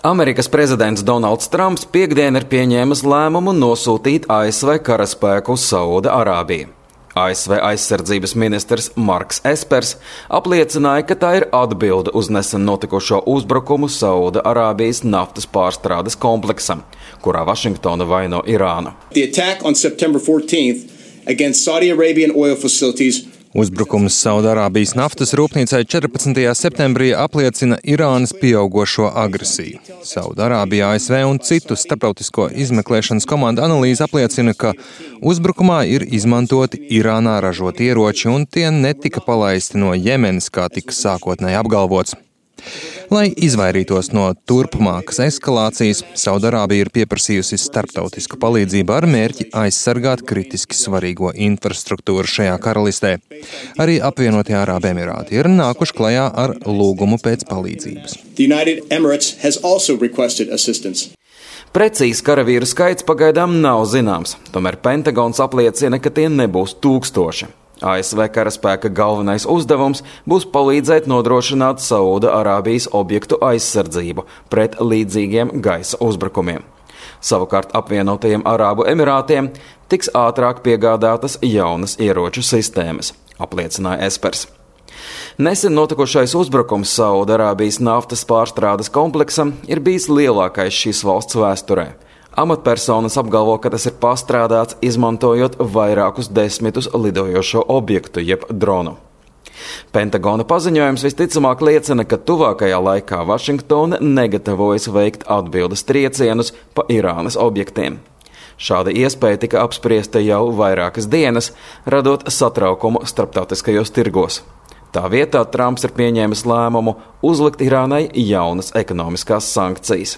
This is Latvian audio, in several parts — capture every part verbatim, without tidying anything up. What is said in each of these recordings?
Amerikas prezidents Donalds Trumps piekdien ir pieņēmis lēmumu nosūtīt A S V karaspēku uz Saūda-Arābiju. A S V aizsardzības ministrs Marks Espers apliecināja, ka tā ir atbilde uz nesen notikušo uzbrukumu Saūda-Arābijas naftas pārstrādes kompleksam, kurā Vašingtona vaino Irānu. The attack on September fourteenth against Saudi Arabian oil facilities. Uzbrukums Saūda-Arābijas naftas rūpnīcai četrpadsmitajā septembrī apliecina Irānas pieaugošo agresiju. Saūda-Arābija, A S V un citu starptautisko izmeklēšanas komandu analīze apliecina, ka uzbrukumā ir izmantoti Irānā ražoti ieroči un tie netika palaisti no Jemenas, kā tika sākotnēji apgalvots. Lai izvairītos no turpmākas eskalācijas, Saūda-Arābija ir pieprasījusi starptautisku palīdzību ar mērķi aizsargāt kritiski svarīgo infrastruktūru šajā karalistē. Arī apvienotie Arābu Emirāti ir nākuši klajā ar lūgumu pēc palīdzības. The United Emirates has also requested assistance. Precīzs karavīru skaits pagaidām nav zināms, tomēr Pentagons apliecina, ka tie nebūs tūkstoši. A S V karaspēka galvenais uzdevums būs palīdzēt nodrošināt Saūda-Arābijas objektu aizsardzību pret līdzīgiem gaisa uzbrukumiem. Savukārt apvienotajiem Arābu Emirātiem tiks ātrāk piegādātas jaunas ieroču sistēmas, apliecināja Espers. Nesen notikušais uzbrukums Saūda-Arābijas naftas pārstrādes kompleksam ir bijis lielākais šīs valsts vēsturē. Amatpersonas apgalvo, ka tas ir pārstrādāts, izmantojot vairākus desmitus lidojošo objektu, jeb dronu. Pentagona paziņojums visticamāk liecina, ka tuvākajā laikā Vašingtona negatavojas veikt atbildes triecienus pa Irānas objektiem. Šāda iespēja tika apspriesta jau vairākas dienas, radot satraukumu starptautiskajos tirgos. Tā vietā Trumps ir pieņēmis lēmumu uzlikt Irānai jaunas ekonomiskās sankcijas.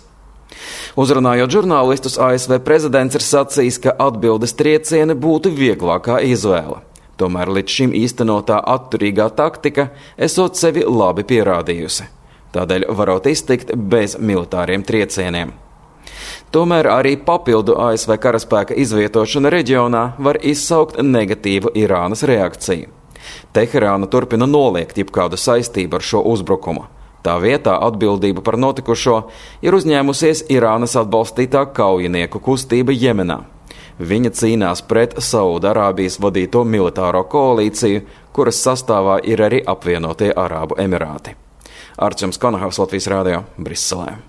Uzrunājot žurnālistus, A S V prezidents ir sacījis, ka atbildes triecieni būtu vieglākā izvēle. Tomēr līdz šim īstenotā atturīgā taktika esot sevi labi pierādījusi. Tādēļ varot iztikt bez militāriem triecieniem. Tomēr arī papildu A S V karaspēka izvietošana reģionā var izsaukt negatīvu Irānas reakciju. Teherāna turpina noliegt jebkādu saistību ar šo uzbrukumu. Tā vietā atbildību par notikušo ir uzņēmusies Irānas atbalstītā kaujinieku kustība Jemenā. Viņa cīnās pret Saūda-Arābijas vadīto militāro koalīciju, kuras sastāvā ir arī apvienotie Arābu Emirāti. Arčuns Konahaus, Latvijas radio, Briselē.